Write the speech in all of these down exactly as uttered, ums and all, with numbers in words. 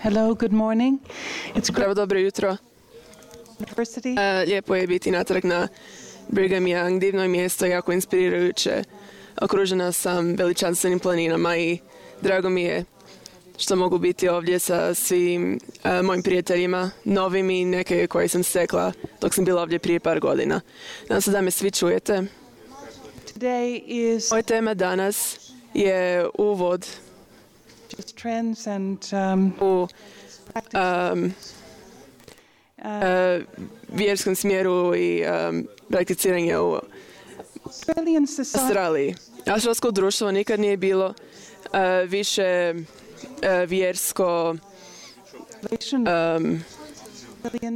Hello, good morning. It's Pravo dobro jutro. University. Uh, lijepo je biti natrag na Brigham Young. Divno je mjesto, jako inspirirajuće. Okružena sam veličanstvenim planinama i drago mi je što mogu biti ovdje sa svim uh, mojim prijateljima, novim i neke koje sam stekla dok sam bila ovdje prije par godina. Nadam se da me svi čujete. Today is Moja tema danas je uvod trends and um, u um, uh, vjerskom smjeru i um, prakticiranje u Australian society. Australiji. Australsko društvo nikad nije bilo uh, više uh, vjersko um,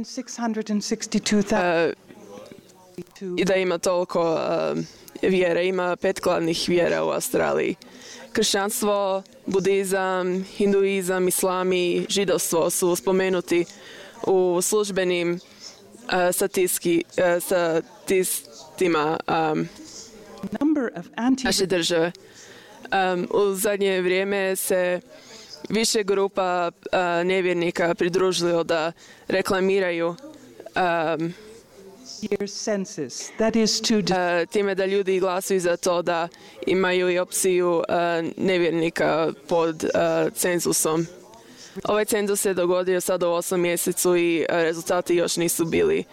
six hundred sixty-two thousand. uh, i da ima toliko um, vjera. Ima pet glavnih vjera u Australiji. Kršćanstvo, budizam, hinduizam, islam i židovstvo su spomenuti u službenim uh, statistiski, uh, statistima um, naše države. Um, u zadnje vrijeme se više grupa uh, nevjernika pridružilo da reklamiraju um, That is to uh, time da ljudi glasuju za to da imaju i opciju uh, nevjernika pod uh, cenzusom. Ovaj cenzus se dogodio sad u osam mjesecu i uh, rezultati još nisu bili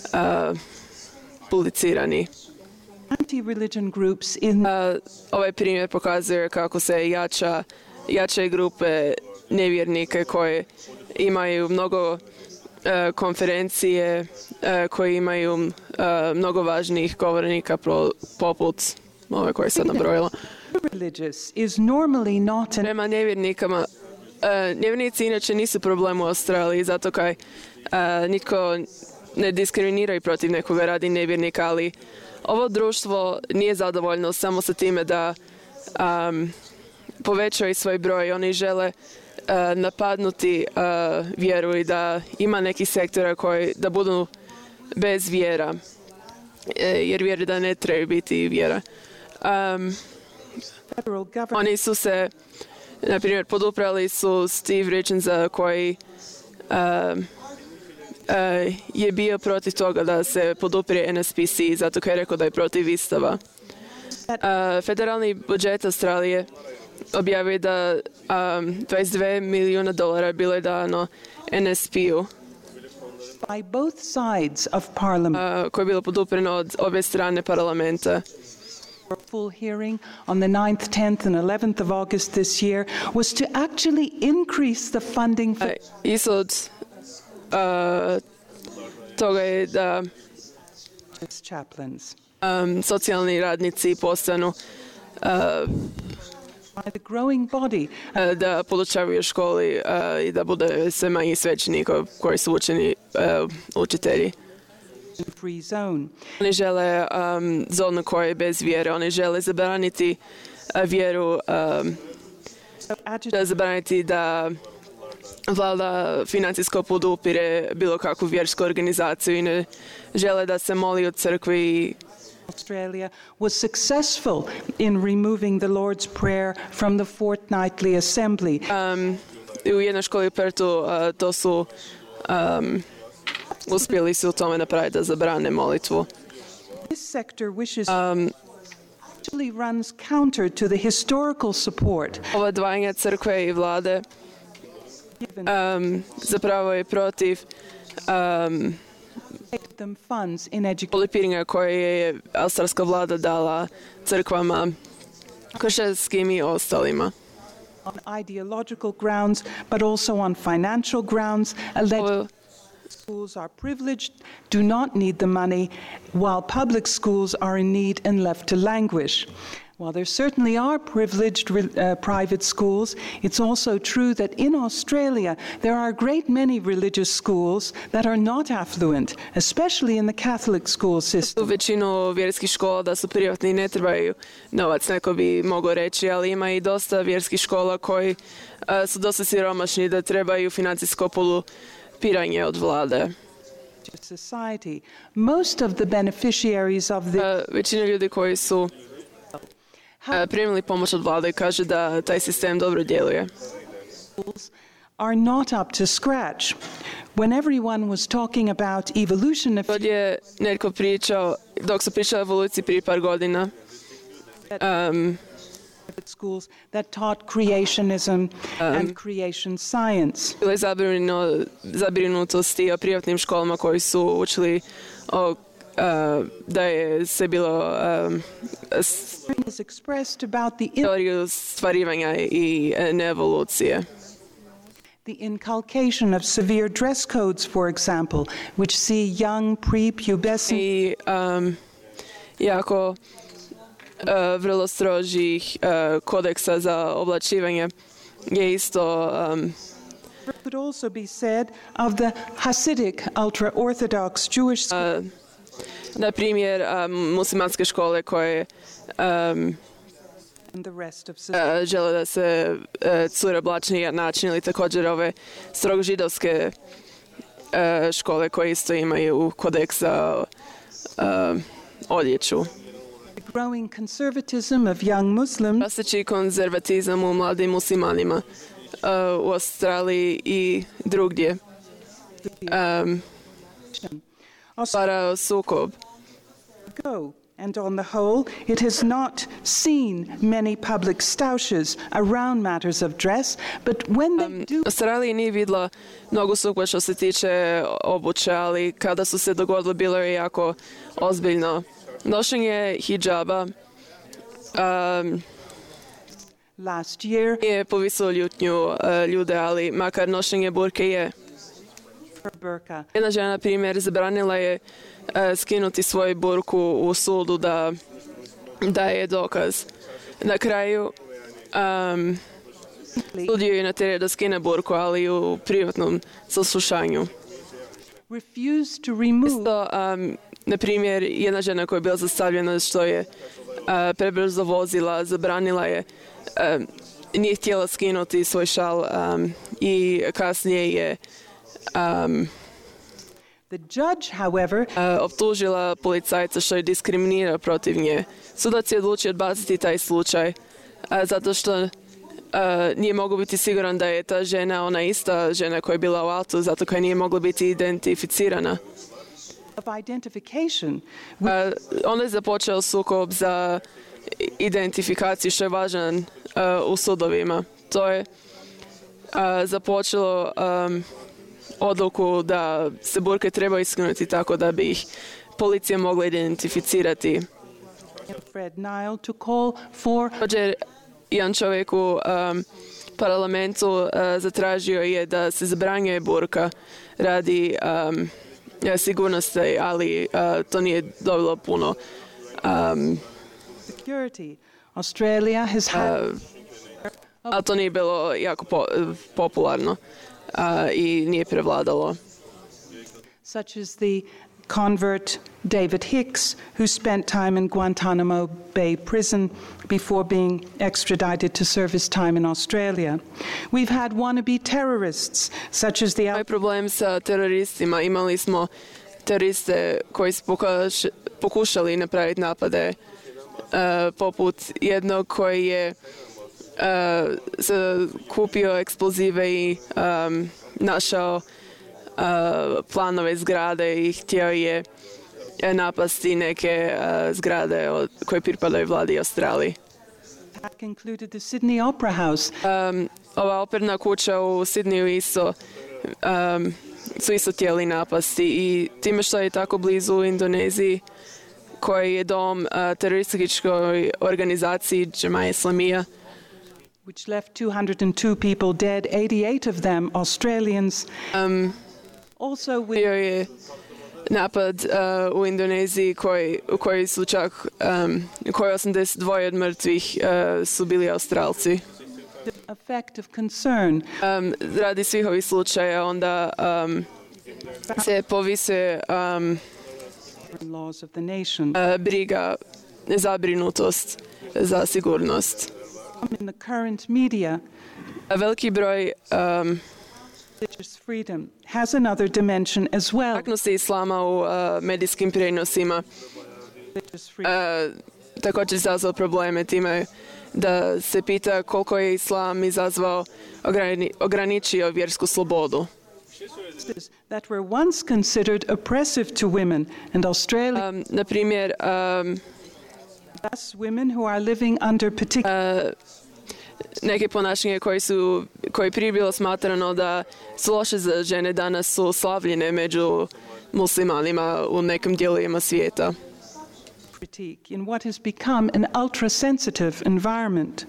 uh, publicirani. Anti-religion groups in uh, ovaj primjer pokazuje kako se jača, jačaju grupe nevjernike koje imaju mnogo Uh, konferencije uh, koje imaju uh, mnogo važnijih govornika pro, poput ove koje sam nabrojila. is normally not an Prema nevjernikama, uh, nevjernici inače nisu problem u Australiji, zato kaj uh, nitko ne diskriminiraju protiv nekoga radi nevjernika, ali ovo društvo nije zadovoljno samo sa time da um, povećaju svoj broj. Oni žele Uh, napadnuti uh, vjeru i da ima nekih sektora koji da budu bez vjera, e, jer vjere da ne trebaju biti vjera. Um, oni su se, na primjer, poduprali su Steve Richardsa koji uh, uh, je bio protiv toga da se poduprije N S P C, zato kaj je rekao da je protiv istava. Uh, federalni budžet Australije objavio da um, dvadeset dva milijuna dolara bilo je dano N S P-u by both sides of parliament. Uh, koje je bilo podupreno od obje strane parlamenta. A full hearing on the ninth, tenth and eleventh of August this year was to actually increase the funding for Uh, ishod uh, toga je da chaplains. um, socijalni radnici postanu uh, By the growing body uh, da podučavaju u školi uh, i da bude sve manji svećenika koji su učeni uh, učitelji. free zone. Oni žele um, zonu koja je bez vjere. Oni žele zabraniti uh, vjeru, um, da zabraniti da vlada financijsko podupire bilo kakvu vjersku organizaciju i ne žele da se moli u crkvi. Australia was successful in removing the Lord's Prayer from the fortnightly assembly. Um, u jednoj školi u Pertu uh, to su um, uspjeli su u tome napraviti da zabrane molitvu. This sector wishes Um, actually runs counter to the historical support ova dvajanja crkve i vlade given um, zapravo je protiv um, them funds in education. polipiranja koje je australska vlada dala crkvama, kršćanskim i ostalima. On ideological grounds, but also on financial grounds, alleged Ovo, schools are privileged, do not need the money, while public schools are in need and left to languish. While there certainly are privileged uh, private schools, it's also true that in Australia there are a great many religious schools that are not affluent, especially in the Catholic school u system. većinu vjerskih škola da su privatni i ne trebaju novac, neko bi mogao reći, ali ima i dosta vjerskih škola koji uh, su dosta siromašni da trebaju financijsko podupiranje od vlade. Society. Most of the beneficiaries of the Uh, većina ljudi koji su uh, primili pomoć od vlade kaže da taj sistem dobro djeluje. schools are not up to scratch. When everyone was talking about evolution a Kad few je netko pričao, dok su pričali o evoluciji prije par godina, um, schools that taught creationism and creation science. bilo je zabrinuto, zabrinutosti o privatnim školama koji su učili o, uh, da je se bilo um, s- Is expressed about the in- teoriju stvarivanja i uh, evolucije. the inculcation of severe dress codes, for example, which see young prepubescent I um, jako uh, vrlo strožih uh, kodeksa za oblačivanje je isto um, could also be said of the Hasidic ultra-Orthodox Jewish school. uh, na primjer um, muslimanske škole koje um, And the rest of society. uh, žele da se uh, cure oblačni na način ili također ove strogo židovske uh, škole koje isto imaju kodeks za uh, odjeću. The growing conservatism of young Muslims Rastući konzervatizam u mladim muslimanima uh, u Australiji i drugdje um, stvara sukob. go, and on the whole, it has not seen many public stoushes around matters of dress, but when they do, Australiji nije vidjela mnogo sukoba što se tiče obuće, ali kada su se dogodilo bilo je jako ozbiljno. Nošenje hidžaba um, last year, je povisilo ljutnju uh, ljude, ali makar nošenje burke je. for burqa, Jedna žena, na primjer, zabranila je uh, skinuti svoju burku u sudu da, da je dokaz. Na kraju um, sud ju je natjerao da skine burku, ali u privatnom saslušanju. refused to remove Isto, um, na primjer, jedna žena koja je bila zastavljena što je uh, prebrzo vozila, zabranila je, um, nije htjela skinuti svoj šal um, i kasnije je um, the judge, however, uh, optužila policajca što je diskriminirao protiv nje. Sudac je odlučio odbaciti taj slučaj uh, zato što uh, nije mogao biti siguran da je ta žena ona ista žena koja je bila u autu, zato koja nije mogla biti identificirana. of identification, Uh, onda je započeo sukob za identifikaciju što je važan uh, u sudovima. To je uh, započelo um, odluku da se burke treba iskinuti tako da bi ih policija mogla identificirati. Fred Nile to call for Također, jedan čovjek u um, parlamentu uh, zatražio je da se zabranjuje burka radi um, sigurnosti, ali uh, to nije dobilo puno um, security. Australia has had uh, ali to nije bilo jako po, popularno uh, i nije prevladalo. such as the convert David Hicks, who spent time in Guantanamo Bay Prison before being extradited to serve his time in Australia. We've had wannabe terrorists, such as the Ovaj problem sa teroristima, imali smo teroriste koji su pokuš, pokušali napraviti napade, uh, poput jednog koji je uh, se kupio eksplozive i um, našao uh, planove zgrade i htio je napasti neke uh, zgrade od, koje pripadaju vladi Australiji. attack included the Sydney Opera House, Um, ova operna kuća u Sidneju isto um, su isto htjeli napasti i time što je tako blizu Indoneziji koji je dom uh, terorističkoj organizaciji Džemaja Islamija, which left two hundred two people dead, eighty-eight of them Australians. um, Also, with bio je napad uh, u Indoneziji koji, u koji su čak um, u kojoj osamdeset dva od mrtvih uh, su bili Australci. the effect of concern Um, radi svih ovih slučaja onda um, se povise um, laws of the nation. uh, briga, zabrinutost za sigurnost. In the current media, A veliki broj um, religious freedom has another dimension as well. aknosti islama u uh, medijskim prenosima Religious freedom. uh, također izazvao probleme time da se pita koliko je islam izazvao, ograni, ograničio vjersku slobodu. That were once considered oppressive to women, and Australia, Um, na primjer, um, thus women who are living under particular uh, neke ponašanje koji su, koji prije bilo smatrano da su loše za žene, danas su slavljene među muslimanima u nekim dijelovima svijeta. critique in what has become an ultra-sensitive environment.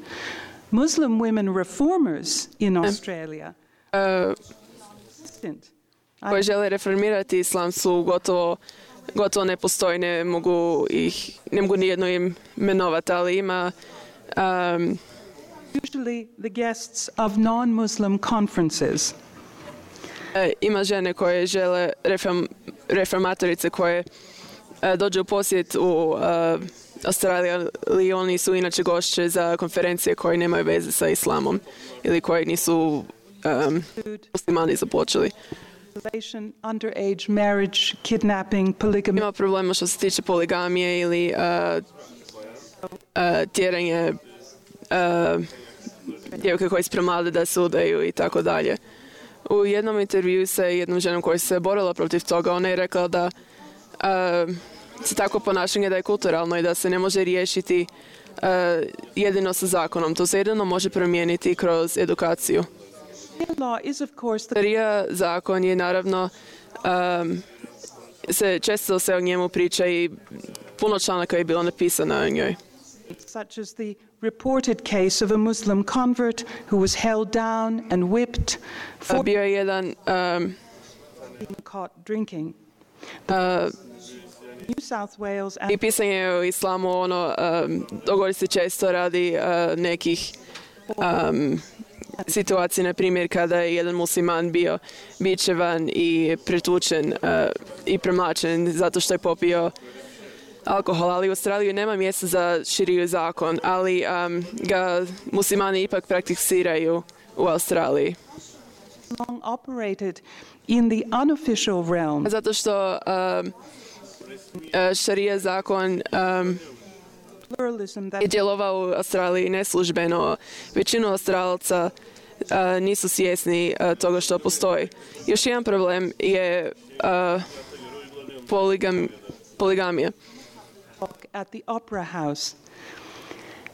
Muslim women reformers in Australia Uh, koji žele reformirati islam su gotovo, gotovo nepostojne, mogu ih, ne mogu nijedno im imenovati, ali ima um, usually the guests of non-Muslim conferences. E, ima žene koje žele, reform, reformatorice koje e, dođu u posjet u e, Australiji, ali oni su inače gošće za konferencije koje nemaju veze sa islamom ili koje nisu um, muslimani započeli. Underage marriage, kidnapping, polygamy. Ima problema što se tiče poligamije ili uh, uh, tjeranje uh, djevojke koje su premlade da se udaju i tako dalje. U jednom intervju sa jednom ženom koja se borila protiv toga, ona je rekla da uh, se tako ponašanje da je kulturalno i da se ne može riješiti uh, jedino sa zakonom. To se jedino može promijeniti kroz edukaciju. Šarija zakon je naravno, um, se često se o njemu priča i puno članaka je bilo napisano o njoj. Such as the reported case of a Muslim convert who was held down and whipped for Bio je jedan um, being caught drinking. uh, New South Wales i pisanje o islamu, ono, um, dogodi se često radi uh, nekih um, situacije, na primjer kada je jedan musliman bio bičevan i pretučen uh, i premlačen zato što je popio alkohol, ali u Australiji nema mjesta za širiju zakon, ali um, ga muslimani ipak prakticiraju u Australiji. long operated in the unofficial realm. Zato što um, uh, šarija zakon um, Pluralism that je djelovao u Australiji neslužbeno. Većinu Australaca uh, nisu svjesni uh, toga što postoji. Još jedan problem je uh, poligam, poligamija. at the Opera House.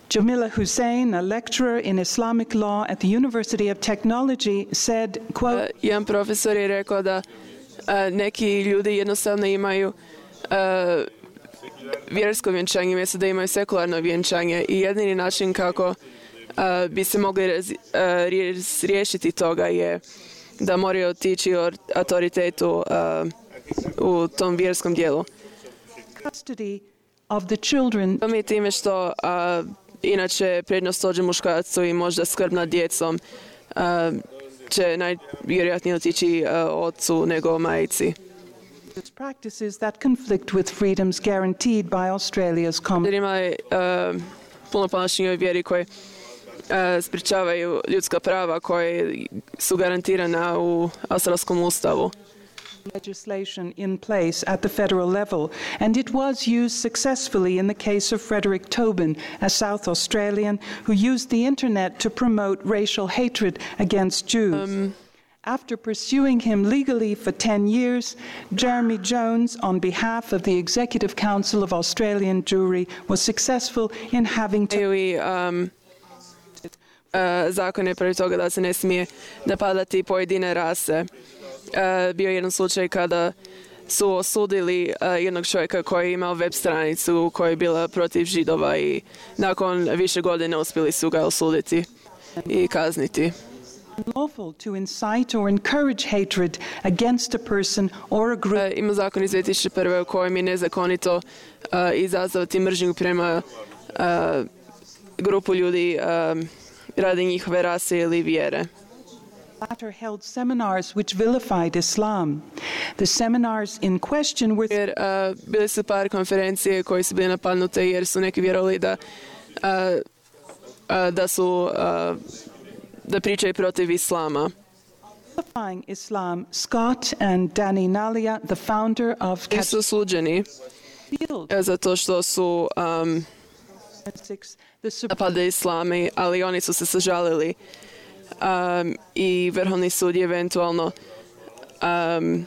Jamila Hussein, a lecturer in Islamic law at the University of Technology, said, quote, Uh, jedan profesor je rekao da uh, neki ljudi jednostavno imaju uh, vjersko vjenčanje, mjesto da imaju sekularno vjenčanje i jedini način kako uh, bi se mogli raz, uh, riješiti toga je da moraju otići od autoritetu uh, u tom vjerskom dijelu. custody of the children To mi je time što uh, inače prednost dođe muškarcu i možda skrb nad djecom uh, će najvjerojatnije otići uh, ocu nego majici. practices that conflict with freedoms guaranteed by Australia's common. Jer ima uh, puno ponašanja u vjeri koje uh, sprječavaju ljudska prava koje su garantirana u australskom ustavu. legislation in place at the federal level, and it was used successfully in the case of Frederick Tobin, a South Australian who used the internet to promote racial hatred against Jews. Um, After pursuing him legally for ten years, Jeremy Jones, on behalf of the Executive Council of Australian Jewry, was successful in having to i um, uh, zakon je protiv toga da se ne smije napadati pojedine rase. Uh, bio je jedan slučaj kada su osudili uh, jednog čovjeka koji je imao web stranicu koja je bila protiv Židova i nakon više godine uspjeli su ga osuditi i kazniti. lawful to incite or encourage hatred against a person or a group. Uh, ima zakon iz dvije tisuće prve u kojem je nezakonito uh, izazvati mržnju prema uh, grupu ljudi um, radi njihove rase ili vjere. latter held seminars which vilified Islam. The seminars in question were Jer uh, bili su par konferencije koje su bile napadnute jer su neki vjerovali da, uh, uh, da su uh, da pričaju protiv islama. vilifying Islam. Scott and Danny Nalia, the founder of I su suđeni Field, uh, zato što su um, napada islami, ali oni su se sažalili um, i Vrhovni sud je eventualno um,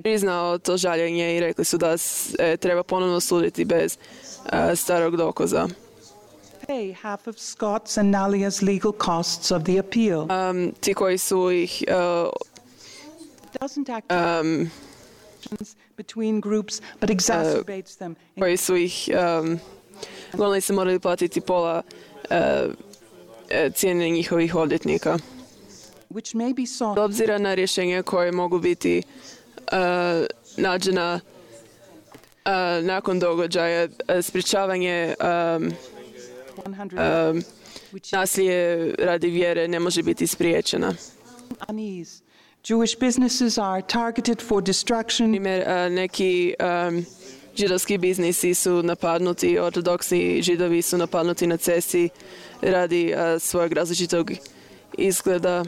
priznao to žaljenje i rekli su da se treba ponovno suditi bez uh, starog dokaza. Pay half of Scott's and Nalia's legal costs of the appeal. Um, ti koji su ih uh, Doesn't act um, between groups, but exacerbates them. koji su ih um, uglavnom se morali platiti pola uh, cijene njihovih odvjetnika. Which may be sought. S obzira na rješenja koje mogu biti uh, nađena uh, nakon događaja, uh, sprječavanje um, um, nasilje radi vjere ne može biti spriječena. Unease. Jewish businesses are targeted for destruction. Primjer, uh, neki um, židovski biznisi su napadnuti, ortodoksni židovi su napadnuti na cesti radi uh, svojeg različitog izgleda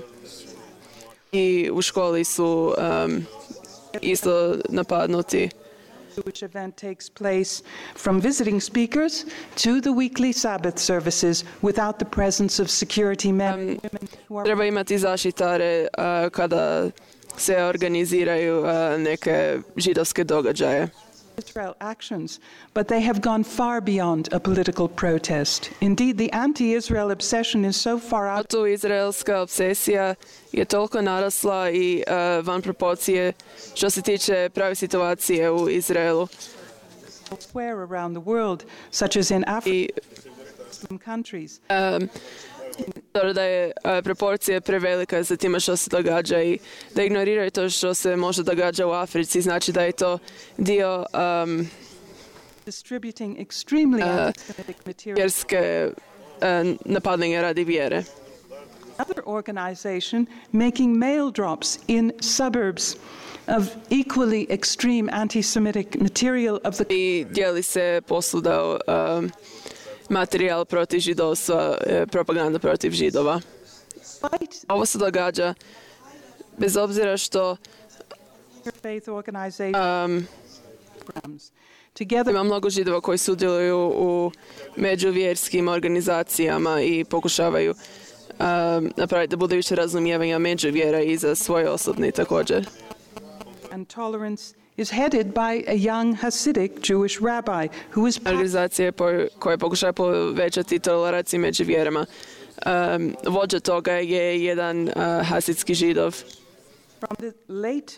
i u školi su um, isto napadnuti. Which event takes place from visiting speakers to the weekly Sabbath services without the presence of security men and women who are Treba imati zaštitare uh, kada se organiziraju uh, neke židovske događaje. Israel actions, but they have gone far beyond a political protest. Indeed, the anti-Israel obsession is so far out. Tu izraelska obsesija je toliko narasla i uh, van proporcije što se tiče prave situacije u Izraelu. Elsewhere around the world, such as in Africa, I Muslim countries. um, da je uh, proporcija prevelika za time što se događa i da ignoriraju to što se može događa u Africi, znači da je to dio um, Distributing extremely anti-Semitic material. vjerske uh, napadanja radi vjere. Another organization making mail drops in suburbs of equally extreme anti-Semitic material of the I dijeli se posluda um, materijal protiv židovstva, eh, propaganda protiv židova. fight Ovo se događa bez obzira što faith organization um, programs. Together ima mnogo židova koji sudjeluju u međuvjerskim organizacijama i pokušavaju um, napraviti da bude više razumijevanja međuvjera i za svoje osobne također. and tolerance is headed by a young Hasidic Jewish rabbi who is Organizacije po- koje pokušaju povećati toleraciju među vjerama. Um, vođa toga je jedan uh, hasidski židov. from the late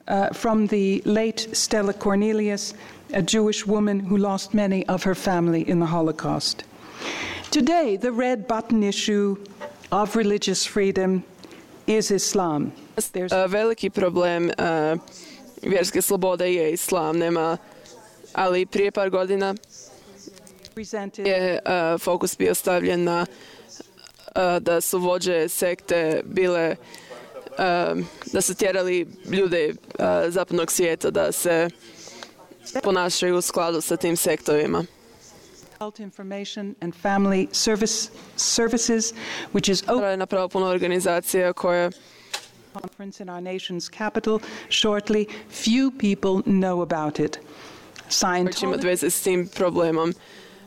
uh, from the late Stella Cornelius, a Jewish woman who lost many of her family in the Holocaust. Today, the red button issue of religious freedom is Islam. There's Uh, veliki problem uh, vjerske slobode je islam, nema, ali prije par godina presented je uh, fokus bio stavljen na uh, da su vođe sekte bile uh, da su tjerali ljude uh, zapadnog svijeta da se ponašaju u skladu sa tim sektovima. Health Information and Family Service Services, which is open Je napravo puno organizacija koje conference in our nation's capital shortly. Few people know about it. će imati Scientology veze s tim problemom,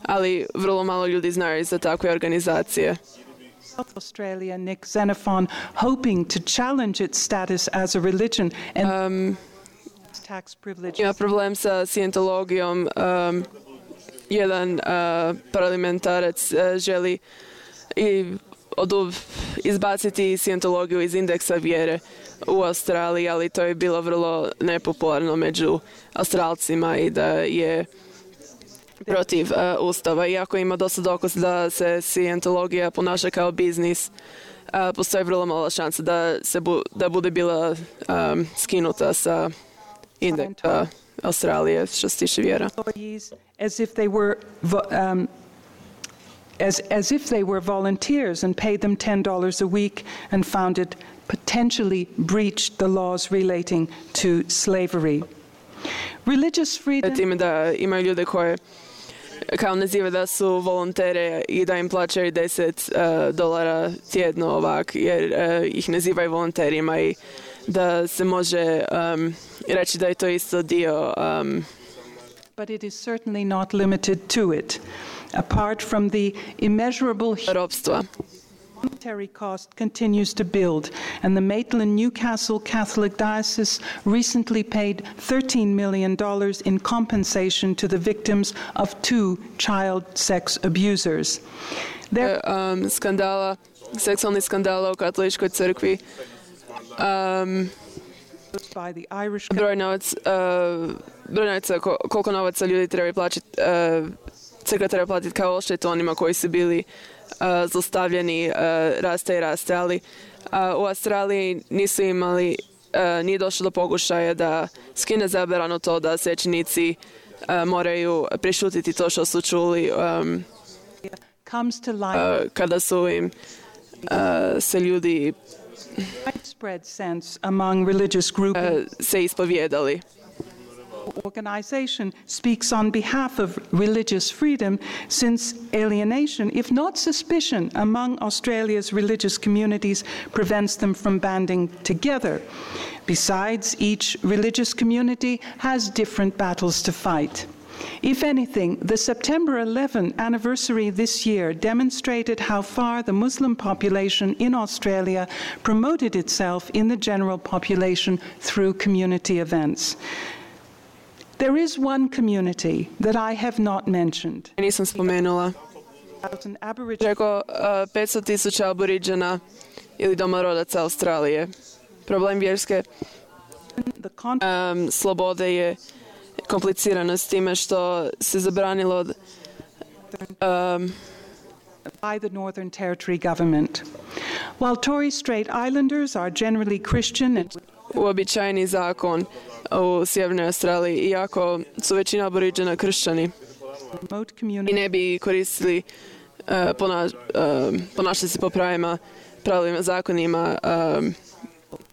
ali vrlo malo ljudi znaju za takve organizacije. South Australia, Nick Xenophon, hoping to challenge its status as a religion and Um, tax privileges. ima problem sa scientologijom. Um, jedan uh, parlamentarac uh, želi i odu, izbaciti scientologiju iz indeksa vjere u Australiji, ali to je bilo vrlo nepopularno među Australcima i da je protiv uh, ustava. Iako ima dosta dokaz da se scientologija ponaša kao biznis, uh, postoji vrlo mala šansa da, se bu, da bude bila um, skinuta sa indeksa Australije što se tiče vjera. Employees as if they were vo- um, as, as if they were volunteers and paid them ten dollars a week and found it potentially breached the laws relating to slavery. Religious freedom Time da imaju ljude koje kao naziva da su volontere i da im plaćaju deset uh, dolara tjedno ovak, jer uh, ih nazivaju volonterima i da se može um, reći da je to isto dio um, but it is certainly not limited to it. apart from the immeasurable ropstva. monetary cost continues to build, and the Maitland Newcastle Catholic Diocese recently paid thirteen million dollars in compensation to the victims of two child sex abusers. There Um, skandala, seksualnih skandala u katoličkoj crkvi. Um, by the Irish broj novac, uh, broj novaca, ko- koliko novaca ljudi treba plaćati, uh, crkva treba platiti kao odštetu onima koji su bili uh, zlostavljani, uh, raste i raste, ali uh, u Australiji nisu imali, uh, nije došlo do pokušaja da skine zabranu to da svećenici uh, moraju prešutiti to što su čuli um, comes to light. uh, kada su im uh, se ljudi Widespread sense among religious groups. uh, se ispovjedali. Organization speaks on behalf of religious freedom, since alienation, if not suspicion, among Australia's religious communities prevents them from banding together. Besides, each religious community has different battles to fight. If anything, the September eleventh anniversary this year demonstrated how far the Muslim population in Australia promoted itself in the general population through community events. There is one community that I have not mentioned. Nisam spomenula. An Aboriginal Preko uh, petsto tisuća aboriđana ili domorodaca Australije. Problem vjerske the con- um, slobode je komplicirano s time što se zabranilo um, by the Northern Territory government. While Torres Strait Islanders are generally Christian and uobičajeni zakon u Sjevernoj Australiji, iako su većina aboriđana kršćani remote i communities ne bi koristili uh, pona, uh, ponašali se po pravima, pravilima, zakonima um,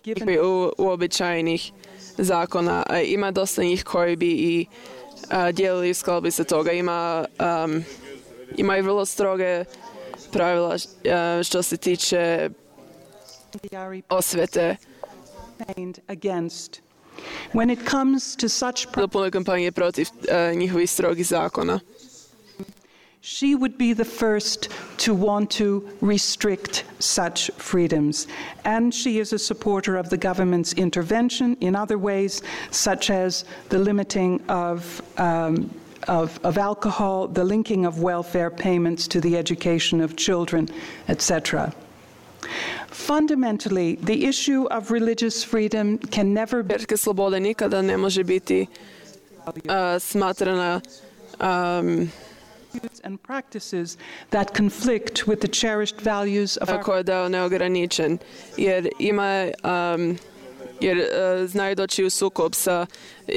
given u, uobičajenih zakona. A ima dosta njih koji bi i uh, dijelili u skladu sa toga. Ima, um, ima i vrlo stroge pravila uh, što se tiče the Ari osvete. campaigned against. When it comes to such pro- Do pune kampanje protiv uh, njihovih strogih zakona. she would be the first to want to restrict such freedoms. And she is a supporter of the government's intervention in other ways, such as the limiting of, um, of, of alcohol, the linking of welfare payments to the education of children, et cetera. Fundamentally, the issue of religious freedom can never be Vjerska sloboda nikada ne može biti uh, smatrana um, and practices that conflict with the cherished values of our koja je dao neograničen, jer ima um, jer uh, znaju doći u sukob sa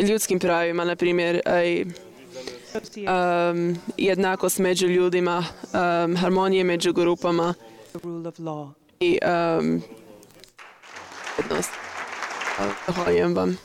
ljudskim pravima, na primjer aj, um, jednakost među ljudima, um, harmonije među grupama the rule of law. i um, jednost. Zahvaljujem vam.